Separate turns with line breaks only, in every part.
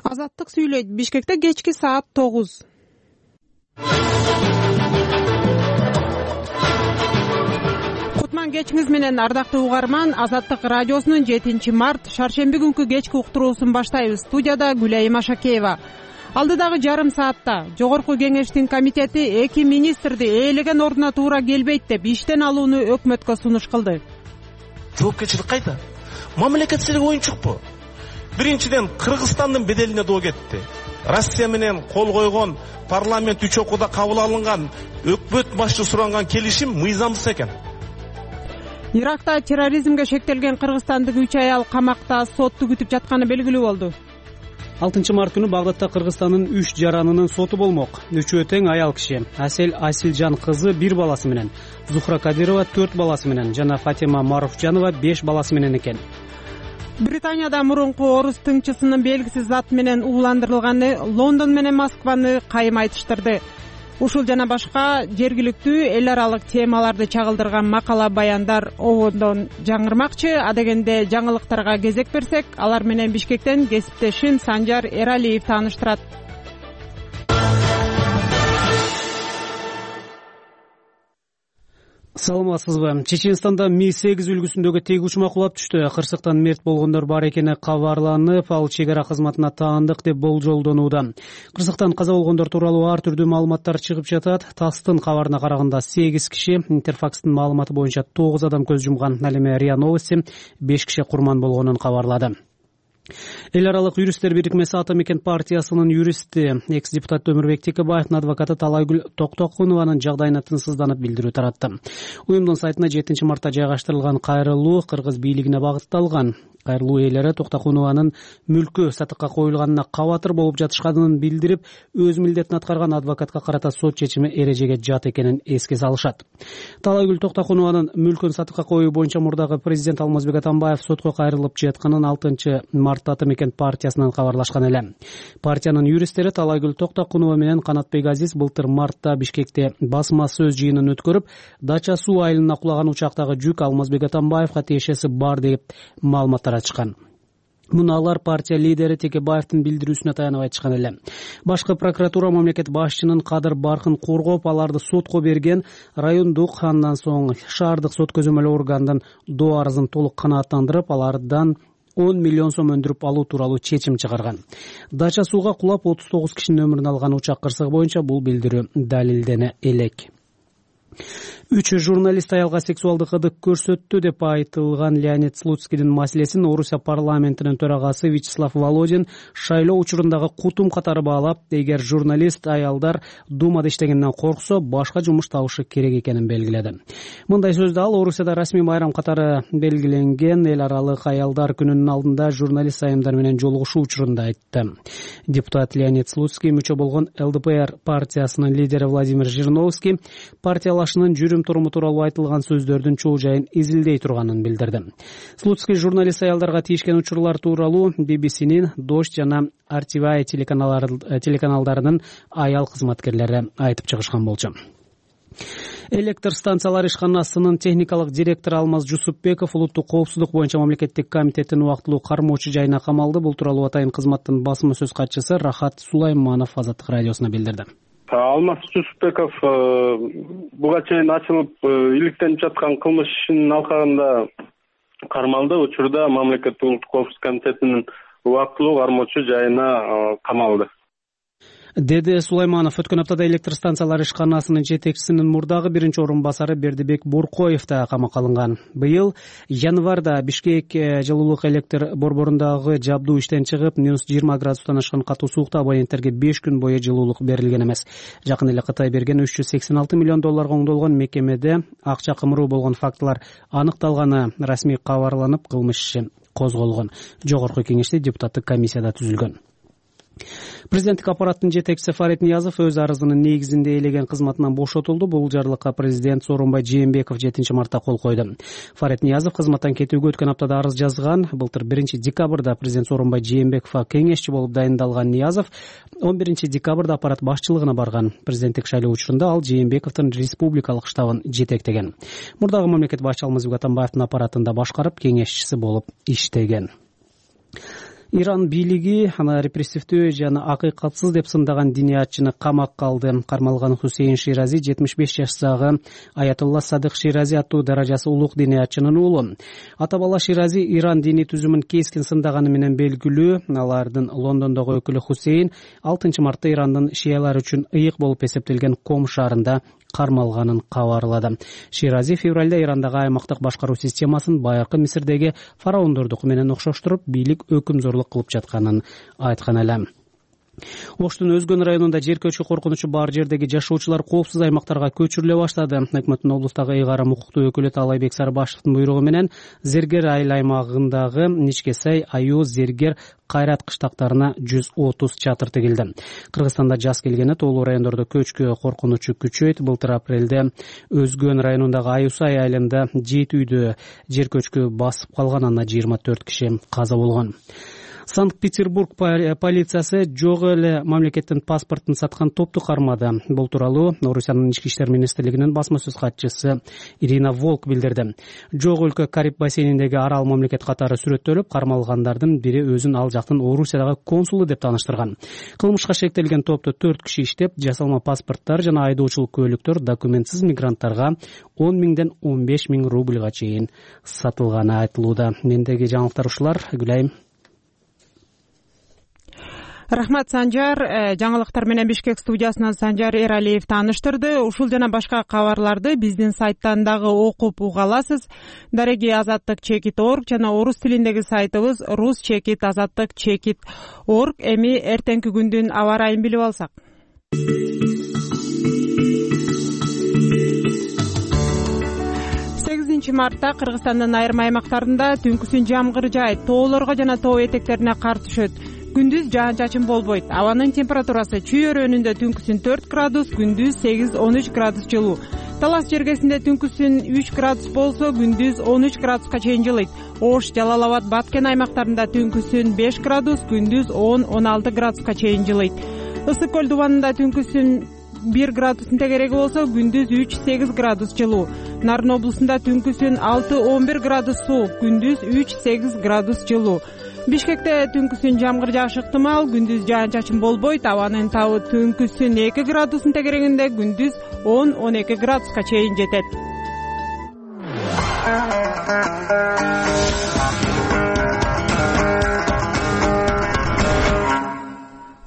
Азаттык сүйлөйт. Бишкекте кечки саат 9. Кутман кечиңиз менен ардактуу угарман. Азаттык радиосунун 7-март шаршемби күнкү кечки уктуруусун баштайбыз. Студияда Гүлайым Ашакеева. Алдыдагы жарым саатта Жогорку кеңештин комитети 2 министрди ээлеген ордуна туура келбейт деп иштен алууну өкмөткө сунуш кылды.
Жоопкерчилик кайда? Мамлекетчилик оюнчукпу? Биринчиден Кыргызстандын беделине доо кетти. Россия менен кол койгон парламент 3 окууда кабыл алынган өкмөт башчы суранган келишим мыйзамсыз экен.
Иракта терроризмге шектелген кыргызстандык 3 аял камакта сотту күтүп жатканы белгилүү болду.
6 март күнү Багдадта Кыргызстандын 3 жаранынын соту болмок. Үчөө тең аял киши. Асел Асилжан кызы 1 баласы менен, Зухра Кадирова 4 баласы менен жана Фатима Маруфжанова 5 баласы менен экен.
Британияда мурунку орус тыңчысынын белгисиз зат менен ууландырылганы Лондон менен Москваны кайым айтыштырды. Ушул жана башка жергиликтүү эл аралык темаларды чагылдырган макала баяндар обондон жаңырмакчы. Адегенде жаңылыктарга кезек берсек, алар менен Бишкектен кесиптешим Санжар Эралиев тааныштырат.
Саламатсызбы? Чеченстанда Ми-8 үлгүсүндөгү тег учма кулап түштү. Кырсыктан мерт болгондор бар экени кабарланып, ал чек ара кызматына таандык деп болжолдонууда. Кырсыктан каза болгондор тууралуу ар түрдүү маалыматтар чыгып жатат. ТАССтын кабарына караганда 8 киши, Интерфакстын маалыматы боюнча 9 адам көз жумган. Ал эми РИА Новости 5 киши курман болгонун кабарлады. Эл аралык юристтер бирикмеси Ата мекен партиясынын юристи, экс-депутат Өмүрбек Текебаевдин адвокаты Талайгүл Токтокунованын жагдайына тынчсызданып билдирүү таратты. Уюмдун сайтына 7 мартта жайгаштырылган кайрылуу кыргыз бийлигине багытталган. Кайрылуу ээлери Токтокунованын мүлкү сатыкка коюлганына кабатыр болуп жатышканын билдирип, өз милдетин аткарган адвокатка карата сот чечими эрежеге жат экенин эске салышат. Талайгүл Токтокунованын мүлкүн сатыкка коюу боюнча мурдагы президент Алмазбек Атамбаев сотко кайрылып жатканын 6 мартта Ата мекен партиясынан кабарлашкан эле. Партиянын юристтери Талайгүл Токтокунова менен Канатбек Азиз былтыр мартта Бишкекте басма сөз жыйынын өткөрүп, Дача суу айылына кулаган учактагы жүк Алмазбек Атамбаевга тиешеси бар деп маалыматтар ачкан. Муну алар партия лидери Текебаевдин билдирүүсүнө таянып айтышкан эле. Башкы прокуратура мамлекет башчынын кадыр баркын коргоп, аларды сотко берген райондук, андан соң шаардык сот көзөмөл органдын доо арызын толук канааттандырып, алардан 10 миллион сом өндүрүп алуу тууралуу чечим чыгарган. Дача сууга кулап 39 кишинин өмүрүн алган учак кырсыгы боюнча бул билдирүү далилдене элек. 3 журналист аялга сексуалдык ыдык көрсөттү деп айтылган Леонид Слуцкийдин маселесин Орусия парламентинин төрагасы Вячеслав Володин шайлоо учурундагы кутум катары баалап, эгер журналист аялдар Думада иштегенден корксо, башка жумуш табышы керек экенин белгиледи. Мындай сөздү ал Орусияда расмий майрам катары белгиленген эл аралык аялдар күнүнүн алдында журналист айымдар менен жолугушуу учурунда айтты. Депутат Леонид Слуцкий мүчө болгон ЛДПР партиясынын лидери Владимир Жириновский партиялашынын жүрүм туруму тууралуу айтылган сөздөрдүн чоо жайын изилдей турганын билдирди. Слуцкий журналист аялдарга тийишкен учурлар тууралуу BBC-нин Дождь жана RTVI телеканалдарынын аял кызматкерлери айтып чыгышкан болчу. Электр станциялар ишканасынын техникалык директору Алмаз Жусупбеков улуттук коопсуздук боюнча мамлекеттик комитеттин убактылуу кармоочу жайына камалды. Бул тууралуу Атайын кызматтын басма сөз катчысы Рахат Сулайманов Азаттык радиосуна билдирди.
Алмаз Жусупбеков буга чейин ачылып иликтенип жаткан кылмыш ишинин алкагында кармалды. Учурда мамлекеттик улуттук коопсуздук комитетинин убактылуу кармоочу жайына камалды,
деди Сулайманов. Өткөн аптада электр станциялар ишканасынын жетекчисинин мурдагы биринчи орун басары Бердибек Боркоев да камакка алынган. Быйыл январда Бишкек жылуулук электр борборундагы жабдуу иштен чыгып, -20 градустан ашкан катуу суукта абоненттерге 5 күн бою жылуулук берилген эмес. Жакын эле Кытай берген $386 миллион оңдолгон мекемеде акча кымыруу болгон фактылар аныкталганы расмий кабарланып, кылмыш иши козголгон. Жогорку кеңеште депутаттык комиссияда түзүлгөн. Президенттик аппараттын жетекчиси Фарид Ниязов өз арызынын негизинде ээлеген кызматынан бошотулду. Бул жарлыкка президент Сооронбай Жээнбеков 7 мартта кол койду. Фарид Ниязов кызматтан кетүүгө өткөн аптада арыз жазган. Былтыр 1 декабрда президент Сооронбай Жээнбековго кеңешчи болуп дайындалган Ниязов 11 декабрда аппарат башчылыгына барган. Президенттик шайлоо учурунда ал Жээнбековдун республикалык штабын жетектеген. Мурдагы мамлекет башчы Алмазбек Атамбаевдин аппаратында башкарып, кеңешчиси болуп иштеген. Иран бийлиги аны репрессивдүү жана акыйкатсыз деп сындаган диниятчыны камакка алды. Кармалган Хусейн Ширази 75 жаштагы Аятулла Садык Ширази аттуу даражасы улук диниятчынын уулу. Ата бала Ширази Иран диний түзүмүн кескин сындаганы менен белгилүү. Алардын Лондондогу өкүлү Хусейн 6 мартта Ирандын шиялары үчүн ыйык болуп эсептелген Ком шаарында кармалганын кабарлады. Ширази февралда Ирандагы аймактык башкаруу системасын байыркы Мисирдеги фараондордуку менен окшоштуруп, бийлик өкүмзорлук кылып жатканын айткан эле. Оштун Өзгөн районунда жер көчкү коркунучу бар жердеги жашоочулар коопсуз аймактарга көчүрүлө баштады. Өкмөттүн облустагы ыйгарым укуктуу өкүлү Талайбек Сарбашевдин буйругу менен Зергер айыл аймагындагы Ничкесай, Аю, Зергер, Кайрат кыштактарына 130 чатыр тигилди. Кыргызстанда жаз келгени тоолуу райондордо көчкү коркунучу күчөйт. Былтыр апрелде Өзгөн районундагы Аюсай айылында 7 үйдө жер көчкү басып калган, анда 24 киши каза болгон. Санкт-Петербург полициясы жок эле мамлекеттин паспортун саткан топту кармады. Бул тууралуу Орусиянын ички иштер министрлигинин басма сөз катчысы Ирина Волк билдирди. Жок өлкө Кариб бассейниндеги арал мамлекет катары сүрөттөлүп, кармалгандардын бири өзүн ал жактын Орусиядагы консулу деп тааныштырган. Кылмышка шектелген топто 4 киши иштеп, жасалма паспорттор жана айдоочулук көлүктөр документсиз мигранттарга 10 миңден 15 миң рубльга чейин сатылганы айтылууда. Мендеги жаңылыктар ушулар. Гүлайым.
Рахмат, Санжар. Жаңылыктар менен Бишкек студиясынан Санжар Эралиев тааныштырды. Ушул жана башка кабарларды биздин сайттан дагы окуп уга аласыз. Дареги Азаттык.org жана орус тилиндеги сайтыбыз rus.azattik.org. Эми эртеңки күндүн аба ырайын билип алсак. 8 мартта Кыргызстандын айрым аймактарында түнкүсүн жамгыр жаайт, тоолорго жана тоо этектерине кар түшөт. Күндүз жаан-чачын болбойт. Абанын температурасы чүй өрөөнүндө түнкүсүн 4 градус, күндүз 8-13 градус жылуу. Талас жергесинде түнкүсүн 3 градус болсо, күндүз 13 градуска чейин жылыйт. Ош, Жалал-Абад, Баткен аймактарында түнкүсүн 5 градус, күндүз 10-16 градуска чейин жылыйт. Ысык көл дубанында түнкүсүн 1 градустун тегереги болсо, күндүз 3-8 градус жылуу. Нарын облусунда түнкүсүн 6-11 градус суук, күндүз 3-8 градус жылуу. Бишкекте түнкүсүн жамгыр жаашы ыктымал, күндүз жаан-чачын болбойт. Абанын табы түнкүсүн 2 градустун тегерегинде, күндүз 10-12 градуска чейин жетет.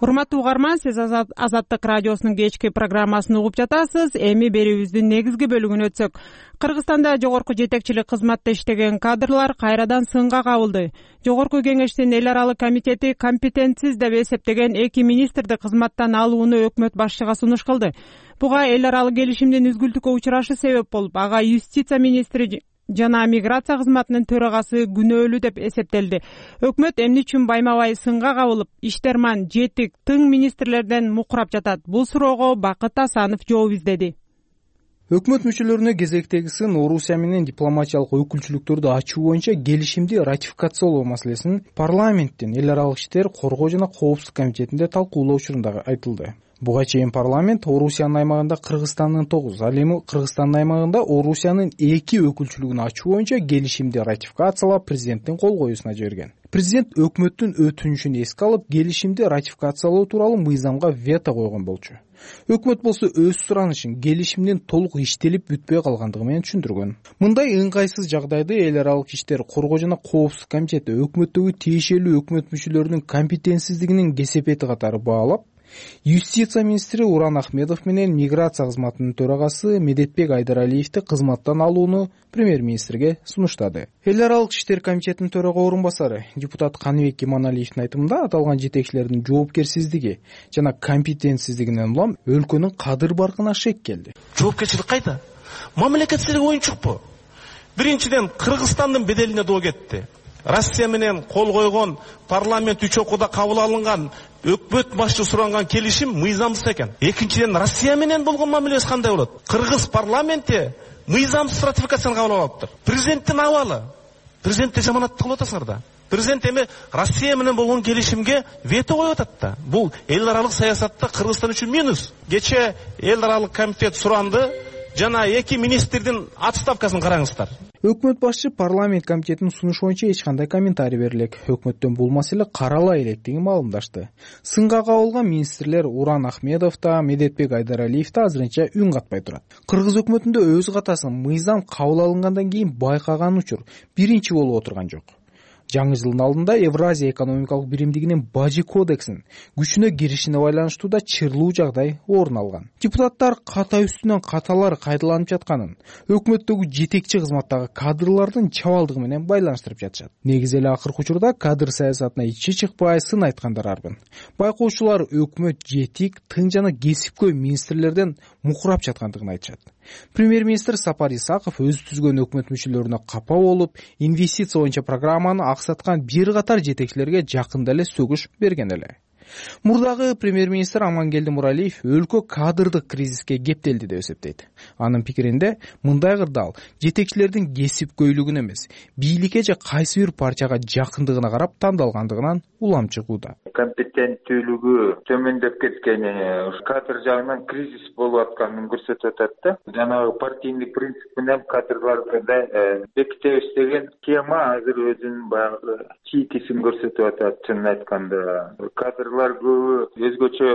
Урматтуу угарман, сиз Азаттык радиосунун кечки программасын угуп жатасыз. Эми берүүбүздүн негизги бөлүгүнө өтсөк. Кыргызстанда жогорку жетекчилик кызматта иштеген кадрлар кайрадан сынга кабылды. Жогорку кеңештин эл аралык комитети компетентсиз деп эсептеген 2 министрди кызматтан алууну өкмөт башчыга сунуш кылды. Буга эл аралык келишимдин үзгүлтүккө учурашы себеп болуп, ага юстиция министри жана миграция кызматынын төрагасы күнөөлүү деп эсептелди. Өкмөт эмне үчүн байма-бай сынга кабылып, Иштерман, Жетик, тың министрлерден мукурап жатат? Бул суроого Бакыт Асанов жооп издеди.
Өкмөт мүчөлөрүнө кезектеги сын Орусия менен дипломатиялык өкүлчүлүктөрдү ачуу боюнча келишимди ратификациялоо маселесин парламенттин эл аралык иштер коргоо жана коопсуздук комитетинде талкуулоо учурунда айтылды. Буга чейин парламент Орусиянын аймагында Кыргызстандын 9, ал эми Кыргызстандын аймагында Орусиянын 2 өкүлчүлүгүн ачуу боюнча келишимди ратификациялап президенттин кол коюусуна жиберген. Президент өкмөттүн өтүнүшүн эске алып, келишимди ратификациялоо тууралуу мыйзамга вето койгон болчу. Өкмөт болсо өз суранышын келишимдин толук иштелип бүтпөй калгандыгы менен түшүндүргөн. Мындай ыңгайсыз жагдайды эл аралык иштер коргоо жана коопсуздук комитети өкмөттөгү тиешелүү өкмөт мүчөлөрүнүн компетентсиздигинин кесепети катары баалап, юстиция министри Уран Ахмедов менен миграция кызматынын төрагасы Медетбек Айдаралиевди кызматтан алууну премьер-министрге сунуштады. Эл аралык иштер комитетинин төрага орун басары депутат Каныбек Иманалиевдин айтымында аталган жетекчилердин жоопкерсиздиги жана компетентсиздигинен улам өлкөнүн кадыр баркына шек келди.
Жоопкерчилик кайда? Мамлекетчилик оюнчукпу? Биринчиден Кыргызстандын беделине доо кетти. Россия менен кол койгон, парламент 3 окууда кабыл алынган, өкмөт башчы суранган келишим мыйзамсыз экен. Экинчиден Россия менен болгон мамилебиз кандай болот? Кыргыз парламенти мыйзамсыз ратификацияны кабыл алыптыр. Президенттин абалы. Президентти жаманатты кылып атасыңар да. Президент эми Россия менен болгон келишимге вето коюп атат да. Бул эл аралык саясатта Кыргызстан үчүн минус. Кече эл аралык комитет суранды, жана 2 министрдин отставкасын караңыздар.
Өкмөт башчы парламент комитетинин сунушу боюнча эч кандай комментарий бере элек. Өкмөттөн бул маселе карала электигин маалымдашты. Сынга кабылган министрлер Уран Ахмедов да, Медетбек Айдаралиев да азырынча үн катпай турат. Кыргыз өкмөтүндө өз катасын мыйзам кабыл алынгандан кийин байкаган учур биринчи болуп отурган жок. Жаңы жылдын алдында Евразия экономикалык биримдигинин бажы кодексин күчүнө киришине байланыштуу да чырлуу жагдай орун алган. Депутаттар ката үстүнөн каталар кайдаланып жатканын өкмөттөгү жетекчи кызматтагы кадрлардын чабалдыгы менен байланыштырып жатышат. Негизи эле акыркы учурда кадр саясатына ичи чыкпай сын айткандар арбын. Байкоочулар өкмөт жетик, тың жана кесипкөй министрлерден мукурап жаткандыгын айтышат. Премьер-министр Сапар Исаков өз түзгөн өкмөт мүчөлөрүнө капа болуп, инвестиция боюнча программаны аксаткан бир катар жетекчилерге жакында эле сөгүш берген эле. Мурдагы премьер-министр Амангелди Муралиев өлкө кадрдык кризиске кептелди деп эсептейт. Анын пикиринде мындай кырдаал жетекчилердин кесипкөйлүгүнө эмес, бийликке же кайсы бир партияга жакындыгына карап тандалгандыгынан улам чыгууда.
Компетенттүүлүгү төмөндөп кеткени, кадр жагынан кризис болуп атканын көрсөтүп атат да. Жанагы партийный принцип менен кадрларды да бекитебиз деген схема азыр өзүнүн баягы чийкисин көрсөтүп атат. Чынын айтканда, кадрлар көбү өзгөчө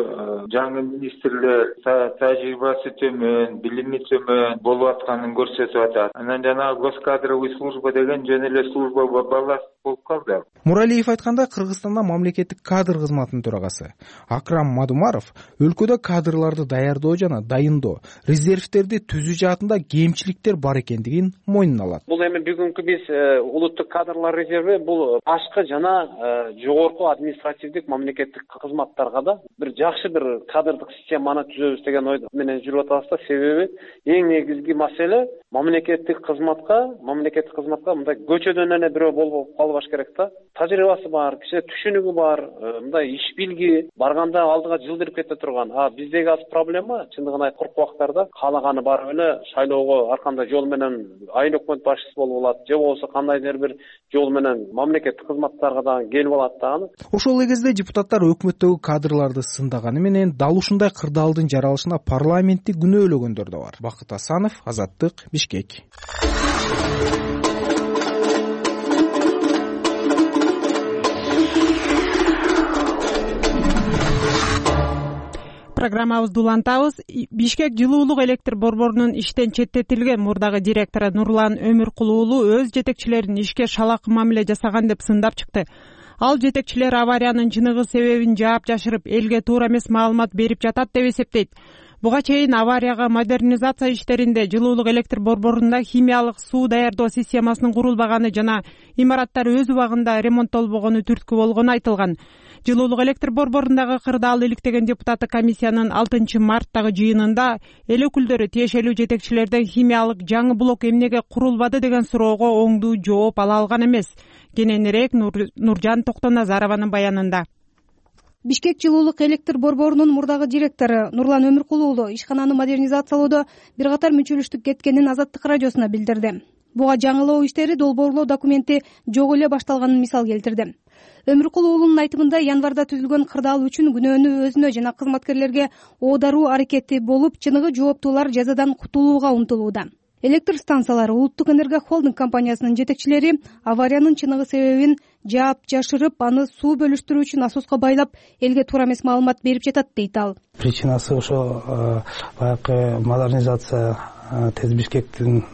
жаңы министрлер тажрыйбасы төмөн, билими төмөн болуп атканын көрсөтүп атат. Анан жанагы госкадровый служба деген жөн эле служба балласт болуп калды.
Муралиев айтканда, Кыргызстанда мамлекеттик кадр кызматынын төрагасы Акрам Мадумаров өлкөдө кадрларды даярдоо жана дайындоо, резервтерди түзүү жаатында кемчиликтер бар экендигин мойнуна алат.
Бул эми бүгүнкү биз улуттук кадрлар резерви бул башкы жана жогорку административдик мамлекеттик кызматтарга да бир жакшы бир кадрдык системаны түзөбүз деген ой менен жүрүп атабыз да. Себеби эң негизги маселе мамлекеттик кызматка мындай көчөдөн эле бирөө болуп калбаш керек да. Тажрыйбасы бар, киши түшүнүгү бар, мындай иш билги, барганда алдыга жылдырып кете турган. Биздеги азыр проблема чындыгын айткыркы убактарда каалаганы барып эле шайлоого ар кандай жол менен айыл өкмөт башчысы болуп алат, же болбосо кандайдыр бир жол менен мамлекеттик кызматтарга да келип алат дагы.
Ошол эле кезде депутаттар өкмөттөгү кадрларды сындаганы менен дал ушундай кырдаалдын жаралышына парламентти күнөөлөгөндөр да бар. Бакыт Асанов, Азаттык, Бишкек.
Программабызды улантабыз. Бишкек жылуулук электр борборунун иштен четтетилген мурдагы директору Нурлан Өмүркул уулу өз жетекчилерин ишке шалакы мамиле жасаган деп сындап чыкты. Ал жетекчилер авариянын чыныгы себебин жаап жашырып, элге туура эмес маалымат берип жатат деп эсептейт. Буга чейин аварияга модернизация иштеринде жылуулук электр борборунда химиялык суу даярдоо системасынын курулбаганы жана имараттар өз убагында ремонттолбогону түрткү болгону айтылган. Жылуулук электр борборундагы кырдаал иликтеген депутаттык комиссиянын 6 марттагы жыйынында эл өкүлдөрү тиешелүү жетекчилерден химиялык жаңы блок эмнеге курулбады деген суроого оңдуу жооп ала алган эмес. Кененирээк Нуржан Токтоназарованын баянында.
Бишкек жылуулук электр борборунун мурдагы директору Нурлан Өмүркул уулу ишкананы модернизациялоодо бир катар мүчөлүштүк кеткенин Азаттык радиосуна билдирди. Буга жаңылоо иштери долбоорлоо документи жок эле башталганын мисал келтирди. Өмүркул уулунун айтымында январда түзүлгөн кырдаал үчүн күнөөнү өзүнө жана кызматкерлерге оодаруу аракети болуп, чыныгы жооптуулар жазадан кутулууга умтулууда. Электр станциялары Улуттук энерго холдинг компаниясынын жетекчилери авариянын чыныгы себебин жаап жашырып, аны суу бөлүштүрүү үчүн насоска байлап, элге туура эмес маалымат берип жатат дейт ал.
Причинасы ошо баягы модернизация ТЭЦ Бишкектин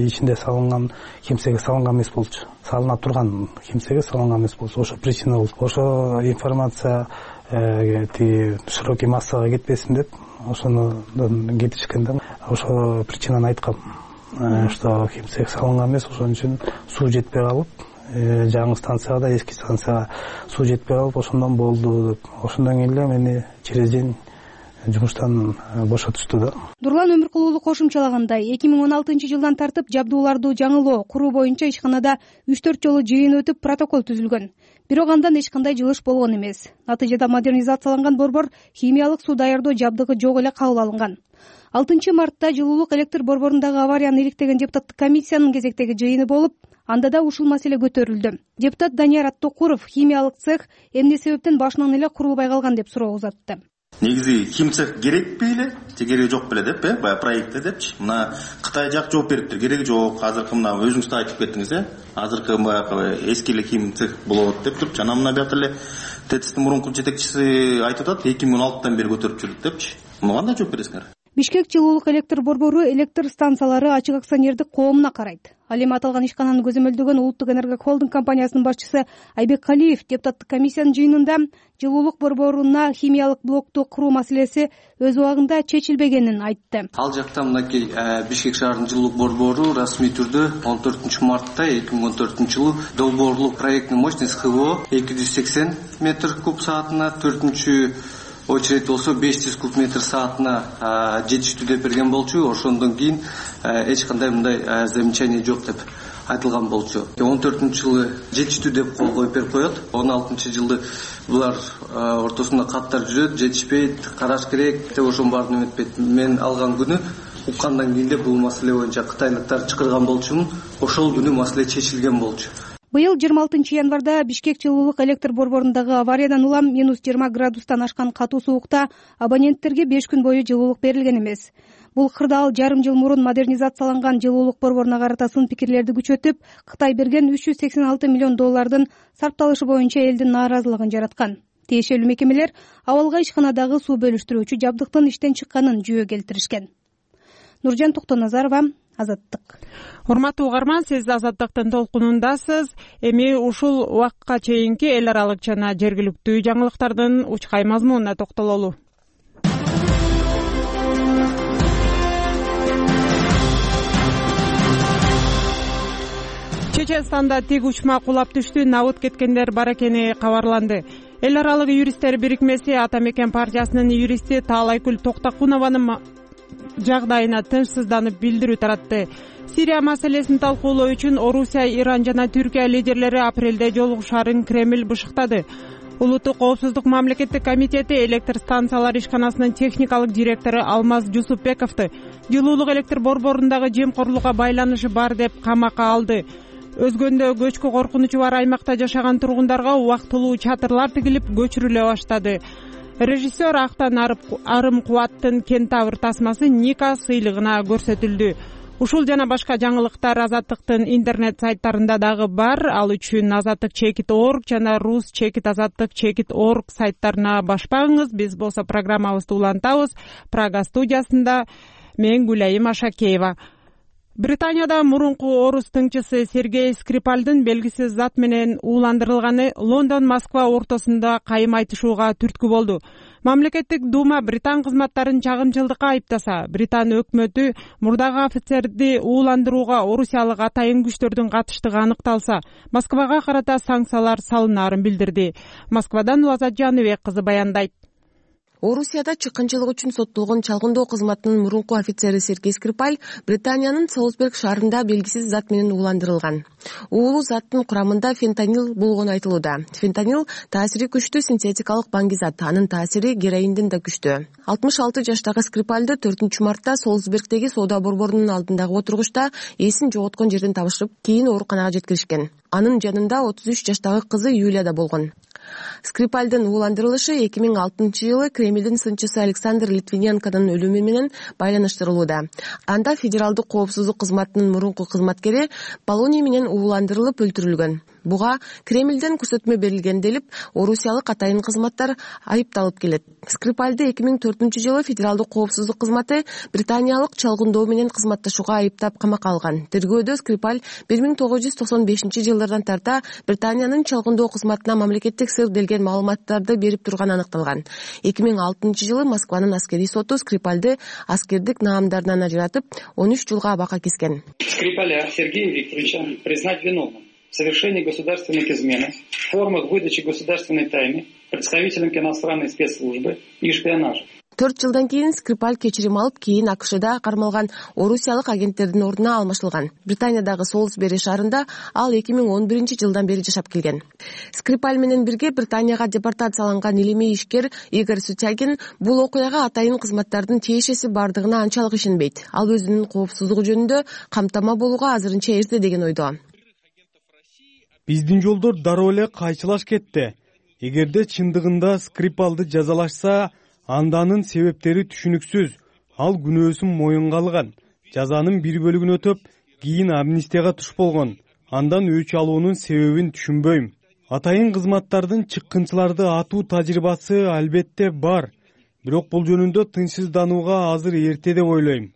ичинде салынган кимсеге салынган эмес болчу. Салына турган кимсеге салынган эмес болчу. Ошо причина болчу. Ошо информация тиги широкий массага кетпесин деп ошондон кетишкен да. Ошо причинаны айткам, что кимсеге салынган эмес, ошон үчүн суу жетпей калып, жаңы станцияга да эски станцияга суу жетпей калып, ошондон болду деп. Ошондон кийин эле мени через день жумуштан бошотушту да.
Нурлан Өмүркул уулу кошумчалагандай, 2016 жылдан тартып жабдууларды жаңылоо, куруу боюнча ишканада 3-4 жолу жыйын өтүп протокол түзүлгөн. Бирок андан эч кандай жылыш болгон эмес. Натыйжада модернизацияланган борбор химиялык суу даярдоо жабдыгы жок эле кабыл алынган. 6 мартта жылуулук электр борборундагы аварияны иликтеген депутаттык комиссиянын кезектеги жыйыны болуп, анда да ушул маселе көтөрүлдү. Депутат Данияр Аттокуров химиялык цех эмне себептен башынан эле курулбай калган деп суроо узатты.
негизи хим цех керекпи эле же кереги жок беле деп баягы проектте депчи. Мына Кытай жак жооп бериптир, кереги жок. Азыркы мына өзүңүз да айтып кеттиңиз, азыркы баягы эски эле хим цех болот деп туруп, жана мына биякта эле ТЭЦтин мурунку жетекчиси айтып атат, 2016-тан бери көтөрүп жүрдүк депчи. Муну кандай жооп бересиңер?
Бишкек жылуулук электр борбору электр станциялары ачык акционердик коомуна карайт. Ал эми аталган ишкананы көзөмөлдөгөн Улуттук энерго холдинг компаниясынын башчысы Айбек Калиев депутаттык комиссиянын жыйынында жылуулук борборуна химиялык блокту куруу маселеси өз убагында чечилбегенин айтты.
Ал жакта мынакей Бишкек шаарынын жылуулук борбору расмий түрдө 14 мартта 2014 жылы долбоорлук проектный мощность ХВО 280 метр куб саатына, 4 очередь болсо 500 куб метр саатына жетиштүү деп берген болчу. Ошондон кийин эч кандай мындай замечание жок деп айтылган болчу. 14 жылы жетиштүү деп кол коюп берип коет. 16 жылы булар ортосунда каттар жүрөт, жетишпейт, караш керек деп ошонун баарын эметпейт. Мен алган күнү уккандан кийин бул маселе боюнча кытайлыктар чакырган болчумун. Ошол күнү маселе чечилген болчу.
Быйыл 26 январда Бишкек жылуулук электр борборундагы авариядан улам -20 градустан ашкан катуу суукта абоненттерге 5 күн бою жылуулук берилген эмес. Бул кырдаал жарым жыл мурун модернизацияланган жылуулук борборуна карата сын пикирлерди күчөтүп, Кытай берген $386 миллион сарпталышы боюнча элдин нааразылыгын жараткан. Тиешелүү мекемелер абалга ишканадагы суу бөлүштүрүүчү жабдыктын иштен чыкканын жүйө келтиришкен. Нуржан Токтоназарова, Азаттык.
Урматтуу угарман, сиз Азаттыктын толкунундасыз. Эми ушул убакка чейинки эл аралык жана жергиликтүү жаңылыктардын учкай мазмунуна токтололу. Чеченстанда тик учма кулап түштү, набыт кеткендер бар экени кабарланды. Эл аралык юристтер бирикмеси Ата Мекен партиясынын юристи Таалайкүл Токтакунованын жагдайына тынчсызданып билдирүү таратты. Сирия маселесин талкуулоо үчүн Орусия, Иран жана Түркия лидерлери апрелде жолугушаарын Кремль бышыктады. Улуттук коопсуздук мамлекеттик комитети электр станциялар ишканасынын техникалык директору Алмаз Жусупбековду жылуулук электр борборундагы жемкорлукка байланышы бар деп камакка алды. Өзгөндө көчкү коркунучу бар аймакта жашаган тургундарга убактылуу чатырлар тигилип көчүрүлө баштады. Режиссер Актан Арым Кубаттын Кентавр тасмасы Ника сыйлыгына көрсөтүлдү. Ушул жана башка жаңылыктар Азаттыктын интернет сайттарында дагы бар. Ал үчүн azattik.org жана rus.azattik.org сайттарына башпаңыз. Биз болсо программабызды улантабыз. Прага студиясында мен Гүлайым Ашакеева. Британияда мурунку орус тыңчысы Сергей Скрипальдын белгисиз зат менен ууландырылганы Лондон Москва ортосунда кайым айтышууга түрткү болду. Мамлекеттик дума Британ кызматтарын чагымчылдыкка айыптаса, Британ өкмөтү мурдагы офицерди ууландырууга орусиялык атайын күчтөрдүн катыштыгы аныкталса, Москвага карата санкциялар салынаарын билдирди. Москвадан Улазат Жаныбек кызы баяндайт.
Орусияда чыккынчылык үчүн соттолгон чалгындоо кызматынын мурунку офицери Сергей Скрипаль Британиянын Солсберг шаарында белгисиз зат менен ууландырылган. Уулуу заттын курамында фентанил болгону айтылууда. Фентанил таасири күчтүү синтетикалык баңгизат, анын таасири героинден да күчтүү. 66 жаштагы Скрипальды 4 мартта Солсбергдеги соода борборунун алдындагы отургучта эсин жоготкон жерден табышып, кийин ооруканага жеткиришкен. Анын жанында 33 жаштагы кызы Юлия да болгон. Скрипальдын ууландырылышы 2006 жылы Кремлдин сынчысы Александр Литвиненконун өлүмү менен байланыштырылууда. Анда федералдык коопсуздук кызматынын мурунку кызматкери полоний менен ууландырылып өлтүрүлгөн. Буга Кремлден көрсөтмө берилген делип, орусиялык атайын кызматтар айыпталып келет. Скрипальды 2004 жылы федералдык коопсуздук кызматы британиялык чалгындоо менен кызматташууга айыптап камакка алган. Тергөөдө Скрипаль 1995 жылдардан тарта Британиянын чалгындоо кызматына мамлекеттик сыр делген маалыматтарды берип турганы аныкталган. 2006 жылы Москванын аскерий соту Скрипальды аскердик наамдарынан ажыратып, 13 жылга абакка кескен.
Скрипаля Сергея Викторовича признать виновным в совершении государственных измен, в формах выдачи государственной тайны представителям иностранной спецслужбы и шпионажа.
4 жылдан кийин Скрипаль кечирим алып, кийин АКШда кармалган орусиялык агенттердин ордуна алмашылган. Британиядагы Солсбери шаарында ал 2011 жылдан бери жашап келген. Скрипаль менен бирге Британияга депортацияланган илимий ишкер Игорь Сутягин бул окуяга атайын кызматтардын тиешеси бардыгына анчалык ишенбейт. Ал өзүнүн коопсуздугу жөнүндө камтама болууга азырынча эрте деген ойдо.
Биздин жолдор дароо эле кайчылаш кетти. Эгерде чындыгында Скрипалды жазалашса,
анданын себептери түшүнүксүз. Ал күнөөсүн моюнга алган, жазанын бир бөлүгүн өтөп, кийин амнистияга туш болгон. Андан өч алуунун себебин түшүнбөйм. Атайын кызматтардын чыккынчыларды атуу тажрыйбасы албетте бар. Бирок бул жөнүндө тынчсызданууга азыр эрте деп ойлойм.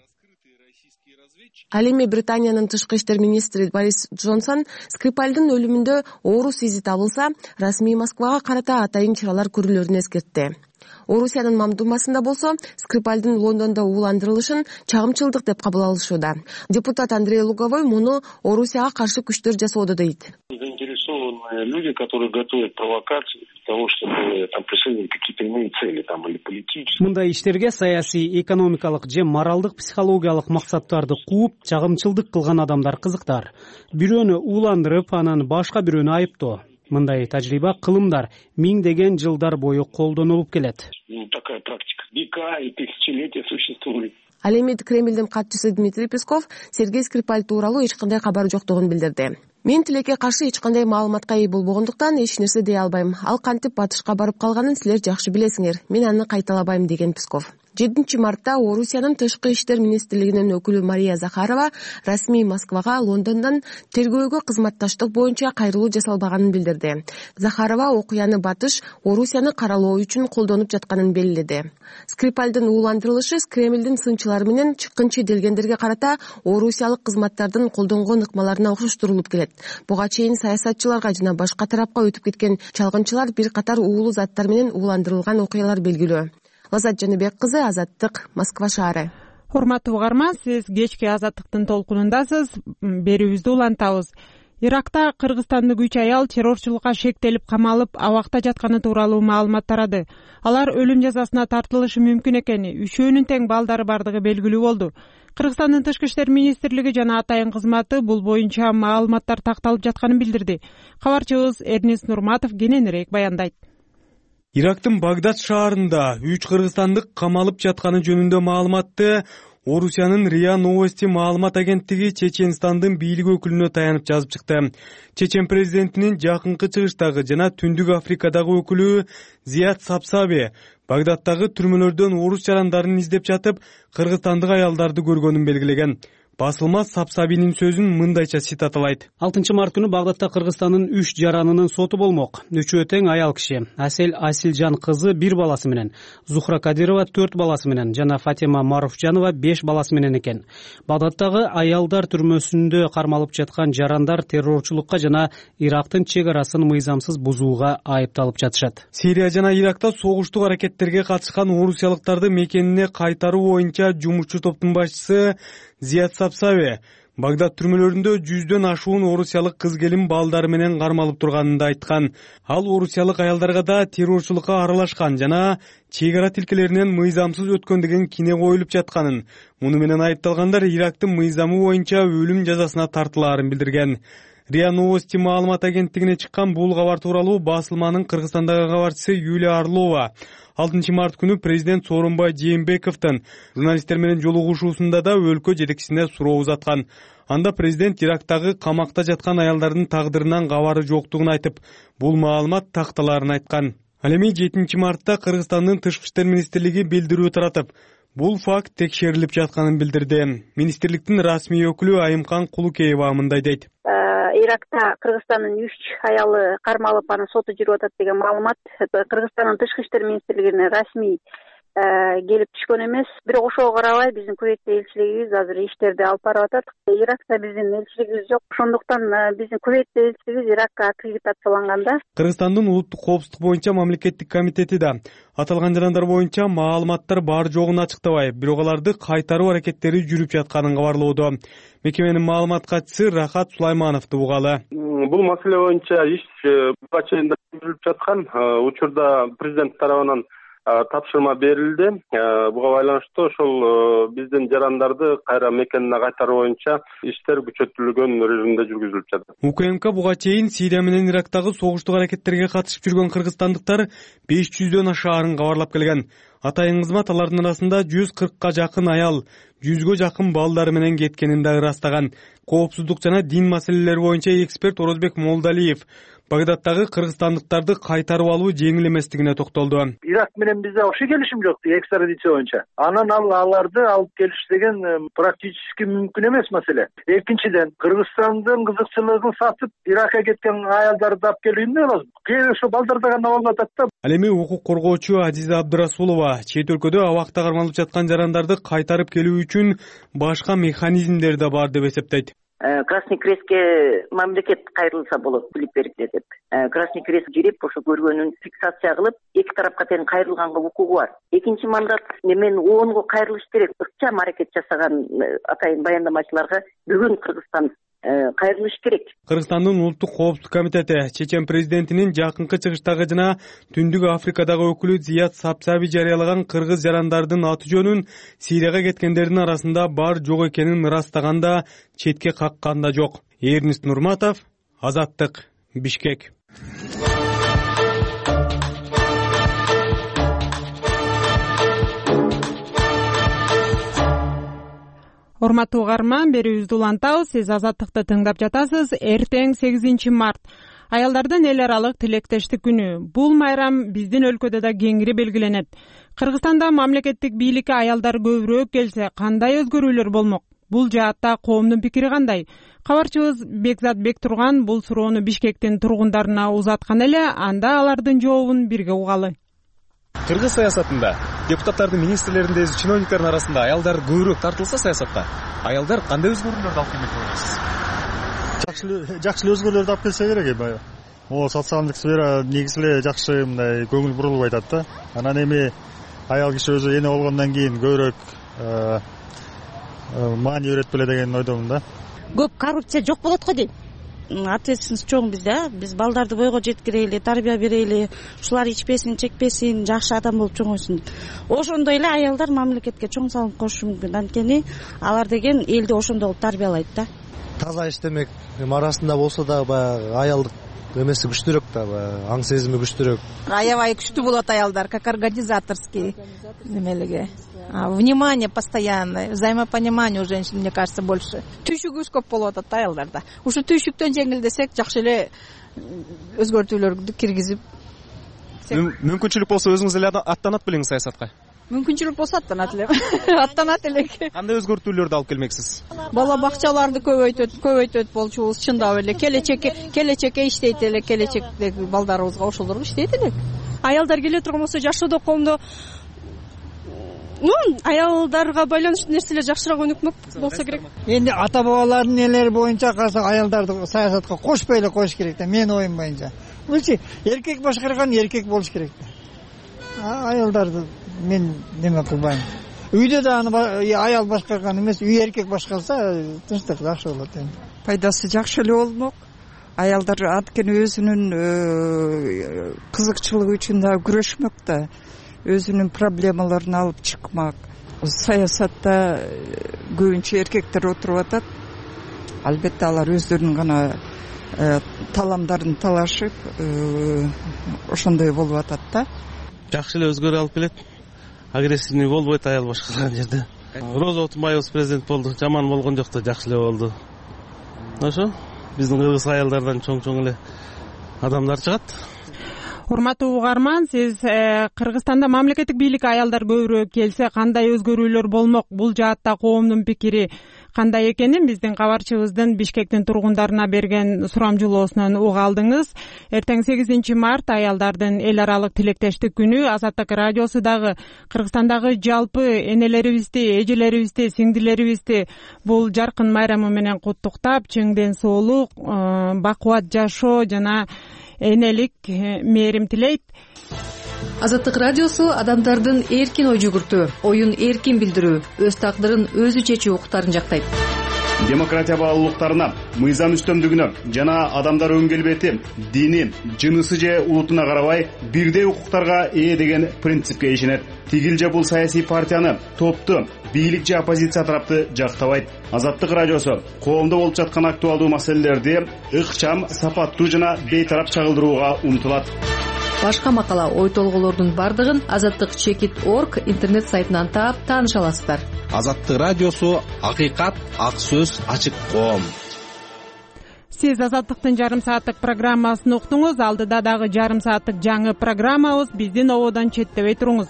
Ал эми Британиянын тышкы иштер министри Борис Джонсон Скрипальдын өлүмүндө оорус изи табылса, расмий Москвага карата атайын чаралар көрүлөрүн эскертти. Орусиянын Мамдумасында болсо Скрипальдын Лондондо ууландырылышын чагымчылдык деп кабыл алышууда. Депутат Андрей Луговой муну Орусияга каршы күчтөр жасоодо дейт.
Заинтересованные люди, которые готовят провокации для того, чтобы там преследовать какие-то иные цели там или политические.
Мындай иштерге саясий, экономикалык же моралдык, психологиялык максаттарды кууп, чагымчылдык кылган адамдар кызыктар. Бирөөнү ууландырып, анан башка бирөөнү айыптоо. Мындай тажрыйба кылымдар миңдеген жылдар бою колдонулуп келет.
Такая практика века и тысячелетия существует.
Ал эми Кремлдин катчысы Дмитрий Песков Сергей Скрипаль тууралуу эч кандай кабар жоктугун билдирди. Мен тилекке каршы эч кандай маалыматка ээ болбогондуктан эч нерсе дей албайм. Ал кантип батышка барып калганын силер жакшы билесиңер. Мен аны кайталабайм, деген Песков. 7 мартта Орусиянын тышкы иштер министрлигинин өкүлү Мария Захарова расмий Москвага Лондондон тергөөгө кызматташтык боюнча кайрылуу жасалбаганын билдирди. Захарова окуяны батыш Орусияны каралоо үчүн колдонуп жатканын белгиледи. Скрипальдын ууландырылышы Кремлдин сынчылары менен чыккынчы делгендерге карата орусиялык кызматтардын колдонгон ыкмаларына окшоштурулуп келет. Буга чейин саясатчыларга жана башка тарапка өтүп кеткен чалгынчылар бир катар уулуу заттар менен ууландырылган окуялар белгилүү. Лазат Жаныбек кызы, Азаттык, Москва шаары.
Урматтуу угарман, сиз кечки Азаттыктын толкунундасыз. Берүүбүздү улантабыз. Иракта кыргызстандык 3 аял террорчулукка шектелип камалып, абакта жатканы тууралуу маалымат тарады. Алар өлүм жазасына тартылышы мүмкүн экени, үчөөнүн тең балдары бардыгы белгилүү болду. Кыргызстандын тышкы иштер министрлиги жана атайын кызматы бул боюнча маалыматтар такталып жатканын билдирди. Кабарчыбыз Эрнест Нурматов кененирээк баяндайт.
Ирактын Багдад шаарында 3 кыргызстандык камалып жатканы жөнүндө маалыматты Орусиянын РИА Новости маалымат агенттиги Чеченстандын бийлик өкүлүнө таянып жазып чыкты. Чечен президентинин жакынкы чыгыштагы жана Түндүк Африкадагы өкүлү Зият Сапсаби Багдадтагы түрмөлөрдөн орус жарандарын издеп жатып, кыргызстандык аялдарды көргөнүн белгилеген. Басылма Сапсабинин сөзүн мындайча цитаталайт.
6 март күнү Багдадта Кыргызстандын 3 жаранынын соту болмок. Үчөө тең аял киши. Асел Асилжан кызы 1 баласы менен, Зухра Кадирова 4 баласы менен жана Фатима Маруфжанова 5 баласы менен экен. Багдадтагы аялдар түрмөсүндө кармалып жаткан жарандар террорчулукка жана Ирактын чек арасын мыйзамсыз бузууга айыпталып жатышат.
Сирия жана Иракта согуштук аракеттерге катышкан орусиялыктарды мекенине кайтаруу боюнча жумушчу топтун башчысы Зият Сапсаби Багдад түрмөлөрүндө 100дөн ашуун орусиялык кыз-келин балдары менен кармалып турганын да айткан. Ал орусиялык аялдарга да террорчулукка аралашкан жана чек ара тилкелеринен мыйзамсыз өткөн деген кине коюлуп жатканын. Муну менен айыпталгандар Ирактын мыйзамы боюнча өлүм жазасына тартылаарын билдирген. РИА Новости маалымат агенттигине чыккан бул кабар тууралуу басылманын Кыргызстандагы кабарчысы Юлия Орлова 6 март күнү президент Сооронбай Жээнбековдун журналисттер менен жолугушуусунда да өлкө жетекчисине суроо узаткан. Анда президент Ирактагы камакта жаткан аялдардын тагдырынан кабары жоктугун айтып, бул маалымат такталаарын айткан. Ал эми 7 мартта Кыргызстандын тышкы иштер министрлиги билдирүү таратып, бул факт текшерилип жатканын билдирди. Министрликтин расмий өкүлү Айымкан Кулукеева мындай дейт.
Иракта Кыргызстандын 3 аялы кармалып, анын соту жүрүп атат деген маалымат Кыргызстандын тышкы иштер министрлигине расмий келип түшкөн эмес. Бирок ошого карабай биздин Кувейттеги элчилигибиз азыр иштерди алып барып атат. Иракта биздин элчилигибиз жок. Ошондуктан биздин Кувейттеги элчилигибиз Иракка аккредитацияланган да.
Кыргызстандын улуттук коопсуздук боюнча мамлекеттик комитети да аталган жарандар боюнча маалыматтар бар жогун ачыктабай, бирок аларды кайтаруу аракеттери жүрүп жатканын кабарлоодо. Мекеменин маалымат катчысы Рахат Сулаймановду угалы.
Бул маселе боюнча иш буга чейин жүрүп жаткан. Учурда президент тарабынан тапшырма берилди. Буга байланыштуу ошол биздин жарандарды кайра мекенине кайтаруу боюнча иштер күчөтүлгөн режимде жүргүзүлүп жатат.
УКМК буга чейин Сирия менен Ирактагы согуштук аракеттерге катышып жүргөн кыргызстандыктар 500дөн ашаарын кабарлап келген. Атайын кызмат алардын арасында 140ка жакын аял, 100гө жакын балдары менен кеткенин да ырастаган. Коопсуздук жана дин маселелери боюнча эксперт Орозбек Молдалиев Багдадтагы кыргызстандыктарды кайтарып алуу жеңил эместигине токтолду.
Ирак менен бизде вообще келишим жок, экстрадиция боюнча. Анан аларды алып келиш деген практически мүмкүн эмес маселе. Экинчиден, Кыргызстандын кызыкчылыгын сатып, Иракка кеткен аялдарды алып келүү эмне болот? Кээ ошо балдарда гана болуп атат да.
Ал эми укук коргоочу Азиза Абдырасулова чет өлкөдө абакта кармалып жаткан жарандарды кайтарып келүү үчүн башка механизмдер да бар деп эсептейт.
Красный Крестке мамлекет кайрылса болот, билип берди деп. Красный Крест кирип, ошо көргөнүн фиксация кылып, эки тарапка тең кайрылганга укугу бар. Экинчи мандат мен ООНго кайрылыш керек. Ыкчам аракет жасаган атайын баяндамачыларга бүгүн Кыргызстан кайрылыш керек.
Кыргызстандын улуттук коопсуздук комитети чечен президентинин жакынкы чыгыштагы жана Түндүк Африкадагы өкүлү Зият Сапсаби жарыялаган кыргыз жарандардын аты жөнүн Сирияга кеткендердин арасында бар жок экенин ырастаганда четке каккан да жок. Эрнист Нурматов, Азаттык, Бишкек.
Урматтуу угарман, берүүбүздү улантабыз. Сиз Азаттыкты тыңдап жатасыз. Эртең 8 март. Аялдардын эл аралык тилектештик күнү. Бул майрам биздин өлкөдө да кеңири белгиленет. Кыргызстанда мамлекеттик бийликке аялдар көбүрөөк келсе, кандай өзгөрүүлөр болмок? Бул жаатта коомдун пикири кандай? Кабарчыбыз Бекзат Бектурган бул суроону Бишкектин тургундарына узаткан эле, анда алардын жообун бирге угалы.
Кыргыз саясатында депутаттардын, министрлердин, чиновниктардын арасында аялдар көбүрөөк тартылса саясатта, аялдар кандай өзгөрүүлөрдү алып келмек болот дейсиз?
Жакшы өзгөрүүлөрдү алып келсе керек эми. Могу социалдык сфера негизи эле жакшы мындай көңүл бурулуп атат да. Анан эми аял киши өзү эне болгондон кийин көбүрөөк маани берет беле деген ойдомун да.
Көп коррупция жок болот го дейм. Ответственность чоң бизде, биз балдарды бойго жеткирели, тарбия берели, ушулар ичпесин, чекпесин, жакшы адам болуп чоңойсун. Ошондой эле аялдар мамлекетке чоң салым кошушу мүмкүн. Анткени алар деген элди ошондой кылып тарбиялайт да.
Таза иштемек арасында болсо да баягы аялдык эмеси күчтүүрөөк да, аң сезими күчтүүрөөк.
Аябай күчтүү болот аялдар, как организаторский немелеге. Внимание постоянное, взаимопонимание у женщин, мне кажется, больше. Түйшүгүбүз көп болуп атат аялдарда. Ушу түйшүктөн жеңилдесек, жакшы эле өзгөртүүлөрдү киргизип.
Мүмкүнчүлүк болсо өзүңүз эле аттанат белеңиз саясатка?
Мүмкүнчүлүк болсо аттанат элем. Аттанат элек.
Кандай өзгөртүүлөрдү алып келмексиз?
Бала бакчаларды көбөйтөт болчубуз, чындап эле. Келечекке иштейт эле, келечектеги балдарыбызга ошолорго иштейт элек. Аялдар келе турган болсо жашоодо коомдо аялдарга байланыштуу нерселер жакшыраак өнүкмөк болсо керек.
Энди ата бабалардын элери боюнча карасак аялдарды саясатка кошпой эле коюш керек да, менин оюм боюнча. Булчу эркек башкарган эркек болуш керек да. Аялдарды мен неме кылбайм. Үйдө да аны аял башкарган эмес, үй эркек башкарса тынчтык жакшы болот энди.
Пайдасы жакшы эле болмок. Аялдар анткени өзүнүн кызыкчылыгы үчүн да күрөшмөк да. Өзүнүн проблемаларын алып чыкмак. Саясатта көбүнчө эркектер отуруп атат. Албетте алар өздөрүнүн гана таламдарын талашып, ошондой болуп атат да.
Жакшы эле өзгөрүү алып келет. Агрессивный болбойт аял башкарган жерде. Роза Отунбаева президент болду, жаман болгон жок да, жакшы эле болду. Ошо биздин кыргыз аялдардан чоң эле адамдар чыгат.
Урматтуу угарман, сиз Кыргызстанда мамлекеттик бийликке аялдар көбүрөөк келсе кандай өзгөрүүлөр болмок? Бул жаатта коомдун пикири кандай экенин биздин кабарчыбыздын Бишкектин тургундарына берген сурамжылоосунан уга алдыңыз. Эртең 8 март аялдардын эл аралык тилектештик күнү. Азаттык радиосу дагы Кыргызстандагы жалпы энелерибизди, эжелерибизди, сиңдилерибизди бул жаркын майрамы менен куттуктап, чың ден соолук, бакубат жашоо жана энелик мээрим тилейт.
Азаттык радиосу адамдардын эркин ой жүгүртүү, оюн эркин билдирүү, өз тагдырын өзү чечүү укуктарын жактайт.
Демократия баалуулуктарына, мыйзам үстөмдүгүнө жана адамдар өң келбети, дини, жынысы же улутуна карабай бирдей укуктарга ээ деген принципке ишенет. Тигил же бул саясий партияны, топту, бийлик же оппозиция тарапты жактабайт. Азаттык радиосу коомдо болуп жаткан актуалдуу маселелерди ыкчам, сапаттуу жана бейтарап чагылдырууга умтулат.
Башка макала, ой толголордун бардыгын azattik.org интернет сайтынан таап тааныша аласыздар.
Азаттык радиосу акыйкат, ак сөз, ачык коом.
Сиз Азаттыктын жарым сааттык программасын уктуңуз. Алдыда дагы жарым сааттык жаңы программабыз. Биздин ободон четтебей туруңуз.